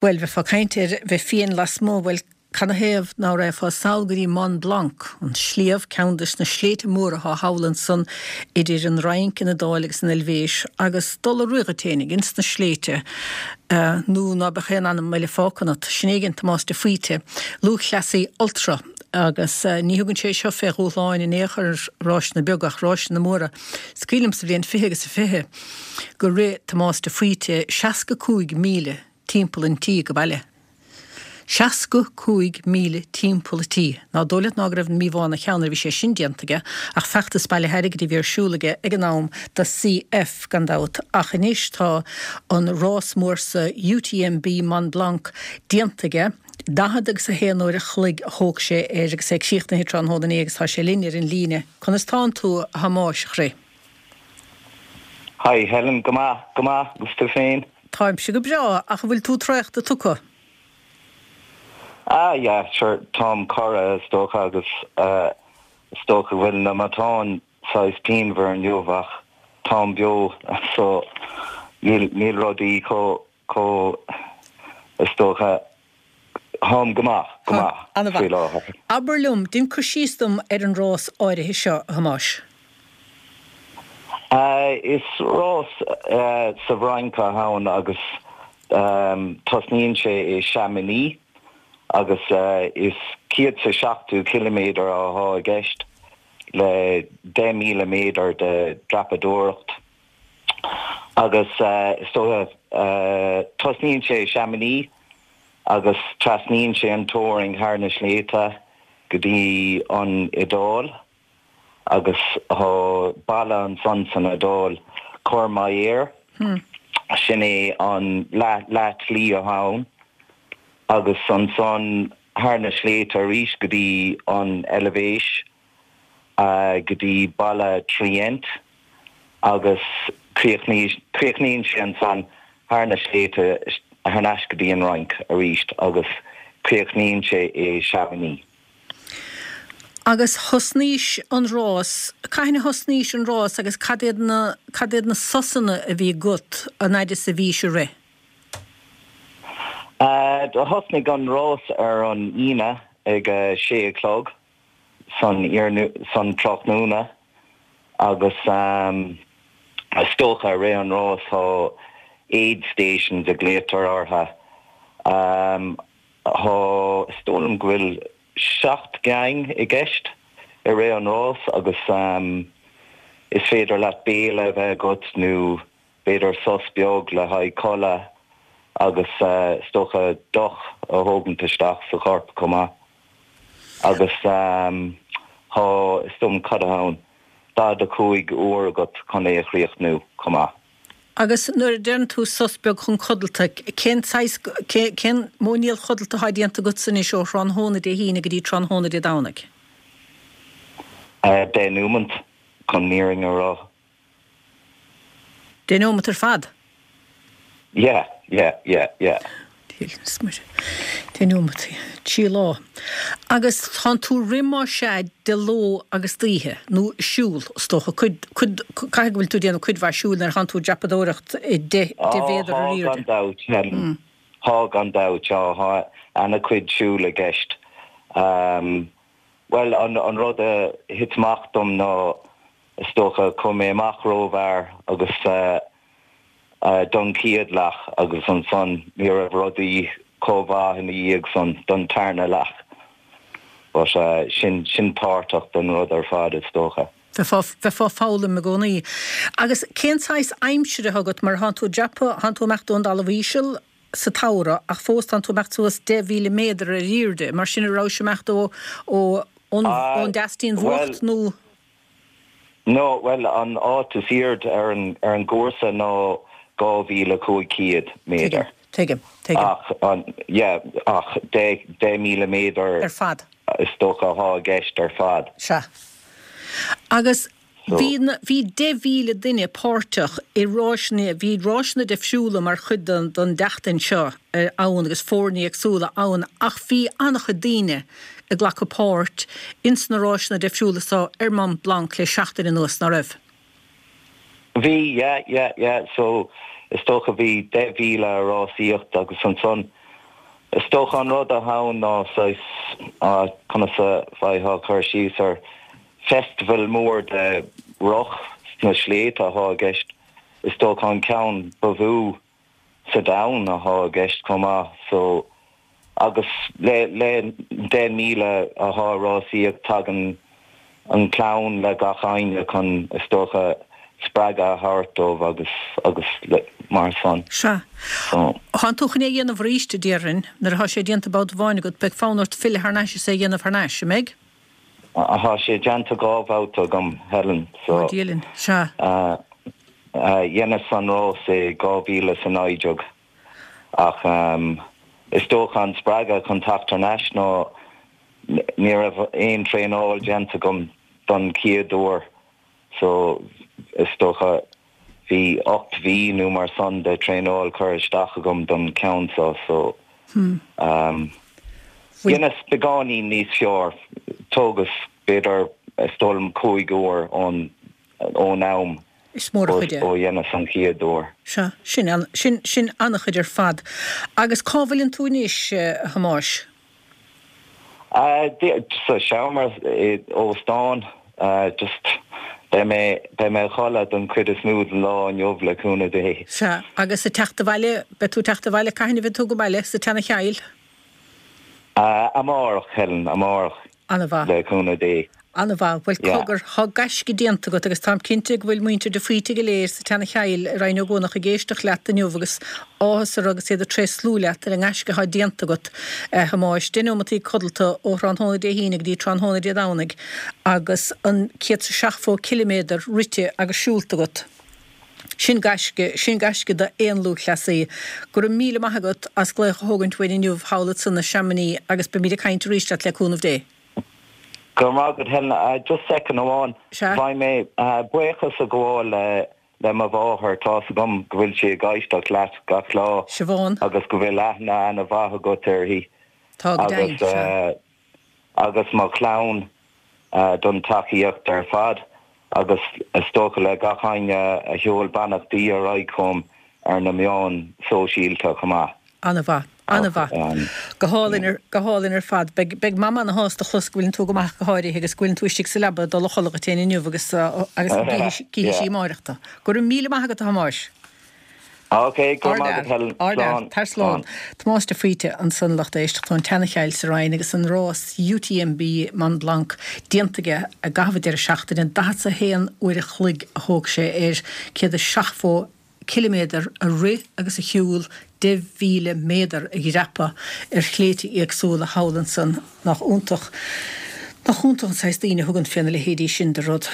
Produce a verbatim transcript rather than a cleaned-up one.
Bhuel, bheifeá ag caint ar bheith fiain lasmuigh, bhuel, canathaobh ná raghfá sall go dtí Mont Blanc, an sliabh, ceann des na sléibhte móra atá thall ansan idir an Fhrainc, an Iodáil agus an Eilvéis, agus dul a rith dhuit fhéinig ins na sléibhte, nó ná beadh aon anam eile fágtha ionat. Sin é a dhein Tomás de Faoite, lúthchleasaí ultra, agus ní thugann sé seo fé dhúshláin in aon chor ráiseanna beaga ach ráiseanna móra. Is cuimhin liom sa bhliain fiche agus a fiche gur rith Tomás de Faoite seasca cúig míle timpeall an tí go baile. Seasca cúig míle timpeall an tí. Ná dóigh leat ná go raibh an míobhá ina cheann nuair a bhí sé sin déanta aige, ach feachtas bailithe airgid a bhí ar siúl aige ag an am do C F gan dabht. Ach anois tá an rás mór sa U T M B Mont Blanc déanta aige. Daichead agus a haon uair a chloig a thóg sé air agus é críochnaithe tráthnóna inné agus tá sé linn ar an líne. Conas tánn tú, a Thomáis, a chroí? Hi Helen, go maith, go maith, agus tú féin? Táimse go breá, ach an bhfuil tú traochta tugtha? Ah yeah, sure, táim corradh is dócha agus uh, is dócha bhfuil na matáin saghas pianmhar inniu ach táim beo, so níl níl rudaí chomh chomh is dócha táim go maith, go maith faoi láthair. Abair liom, déan cur síos dom ar an rás áirithe seo, a Thomáis. Uh, is rás uh, sa bhFrainc atá ann agus um, tosnaíonn sé i Chamonix agus uh, is céad is seachtó kilometer atá i gceist le deich míle méadar de dreapadóireacht agus uh, is dócha uh, tosnaíonn sé i Chamonix agus trasnaíonn sé an teorainn thar na sléibhte go dtí an Iodáil agus tá baile ansan san Iodáil Courmayeur hmm. Sin é an leath slí ann agus ansan thar na sléibhte arís go dtí an Eilvéis uh, go dtí baile Trient agus críochnaíonn sé ansan thar na sléibhte thar n-ais go dtí an Fhrainc arís agus críochnaíonn sé i Chamonix. Agus thosnaís an rás, cathain a thosnaís an rás agus cad iad na cad iad na sosanna a bhí agat an fhad is a bhís ag rith? Uh, do thosnaigh an rás ar an Aoine ag uh, sé a chlog san san tráthnóna agus um, is dócha rith an rás tá aid stations a glaotar orthu. Um, Tá is dóigh liom go bhfuil seacht gcinn i gceist i rith an rás agus um, is féidir leat béile a bheith agat nó b'fhéidir sos beag le haghaidh codladh agus uh, is dócha deoch a thógaint isteach sa chorp chomh maith. Agus um, tá is dóigh liom cad ann daichead a cúig uair agat chun é a chríochnú chomh maith. Agus nuair a deireann tú sos beag chun codlata, cén cén mhóiníl chodlata atá déanta agat anois ó thráthnóna Dé hAoine go dtí tráthnóna Dé Domhnaigh? Uh, Deich nóiméad chun an fhírinne a rá. Deich nóiméad ar fad? Yeah, yeah, yeah, yeah. Deich nóiméad trí lá. Agus tá tú ag rith mar sé de ló agus d'oíche nó siúl is dócha caithfidh go bhfuil tú déanamh cuid mhaith siúil nuair atánn tú ag dreapadóireacht deich méadar ar airde. Tá gan dabht tá an-chuid siúl i gceist. Um, well an, an rud a thit amach dom ná is dócha chuaigh mé amach rómhear agus uh, uh, don chéad leath agus ansan ní raibh rudaí chomh maith ina dhiaidh san don tarna leath. But uh, sin sin páirteach den rud ar fad is dócha. Bheifeá ag foghlaim i gcónaí. Agus cén saghas aimsire agat mar tánn tú ag dreapadh tánn tú amach ón dtalamh íseal sa samhradh ach fós tánn tú amach suas deich mhíle méadar ar airde, mar sin raibh sé amach ó ón ón deastín bhucht nó? No, well an áit is airde ar an ar an gcúrsa ná dhá mhíle cúig chéad méadar. Tuigim. Ach an yeah, ach deich míle méadar ar fad. Is dócha atá i gceist ar fad. Sea. Agus bhí bhí deich mhíle duine páirteach i ráiseanna bhí ráiseanna difriúla mar chuid den den tseachtain seo ann agus foirne éagsúla ann ach bhí an-chuid daoine ag glacadh páirt ins na ráiseanna difriúla seo ar Mont Blanc le seachtain anuas nach raibh. Bhí yeah, yeah, yeah. So is dócha bhí deich míle rásaíocht agus ansan Is dócha an rud atá ann ná saghas conas a bheifeá ag cur síos ar festival mór de roth sna sléibhte atá i gceist. Is dócha an ceann ba mhó sa domhan atá i gceist chomh maith so agus le le deich míle atá ag rásaíocht tagann an clann le gach éinne chun is dócha spreagadh a thabhairt dóibh agus agus mar san. Sea. Thánn tú chun é a dhéanamh arís, a déarfainn, nuair atá sé déanta babhta amháin agat, beidh fonn ort filleadh thar n-ais is é a dhéanamh thar n-ais, an mbeidh? Tá sé déanta dhá bhabhta agam, Helen, so. Ó, Dia linn. Sea. Dheineas an rás i dhá mhíle is a naoi déag ach is dócha an spreagadh chun teacht thar n-ais ná ní raibh aon traenáil déanta agam don chéad uair so is dócha bhí ocht mhí nó mar san de traenáil curtha isteach agam don ceann seo so dheineas beagáinín níos fearr, tógas b'fhéidir is dóigh liom cúig uair ón ón am Is mór a chuid é. ó dheineas an chéad uair. Sea, sin sin sin an-chuid ar fad. Agus cá bhfuileann tú anois, a Thomáis? Sa seomra i óstán just beidh mé beidh mé a chodladh don chuid is mó den lá inniu le cúnamh Dé. Sea, agus ag teacht abhaile, beidh tú ag teacht abhaile, cathain a bheidh tú ag baile sa tSeana-Chill? Amárach, Helen, amárach. An-mhaith. Le cúnamh Dé. An-mhaith. Bhuel, cogar, thá gaisce déanta agat agus táim cinnte go bhfuil muintir de Faoite go léir sa tSeana-Chill i Rinn Ó gCuanach ag éisteacht leat inniu agus áthas orthu agus iad ag tréaslú leat ar an ngaisce athá déanta agat, a Thomáis. Deich neomataí codlata ó thráthnóna Dé hAoine go dtí tráthnóna Dé Domhnaigh agus an céad 's a seachtó ciliméadar rite agus siúlta agat. Sin gaisce, sin gaisce d'aon lúthchleasaí. Go raibh míle maith agat as glaoch a thógaint uainn inniu thall ansan i Chamonix agus beimid ag caint arís leat le cúnamh Dé. Go raibh maith agat Helen. Just second amháin. Sea. Beidh mé buíochas a ghabháil le le mo mháthair, tá's agam go bhfuil sí ag éisteacht leat gach lá Siobhán. agus go bhfuil aithne ana-mhaith agat uirthi. Tá go deimhin, Agus sea. agus mo chlann don tacaíocht ar fad agus is dócha le gach éinne a sheol beannachtaí ar aghaidh chugam ar na meáin sóisialta chomh maith. An-mhaith. An-mhaith. Go hálainn ar, go hálainn ar fad. Beidh, beidh Mama ana-shásta a chlos go bhfuileann tú go maith go háirithe agus go bhfuileann tú istigh sa leaba ag dul a chodladh duit féin inniu agus, agus go gcífidh, cífidh sí amárach tú. Go raibh míle maith agat a Thomáis. Ok, go raibh maith agat Helen. Ardfhear. Slán. Tar slán. Tomás de Faoite ansan lucht éisteachta ón tSeana-Chill sa Rinn agus an rás UTMB Mont Blanc déanta aige i gcaitheamh an deireadh seachtaine. Daichead 's a haon uair a chloig a thóg sé air, céad is seachtó ciliméadar a rith agus a shiúl, deich mhíle méadar a dhreapadh ar shléibhte éagsúla thall ansan. Nach iontach, nach iontach an saghas daoine a thugann fé na leithéidí sin de rud.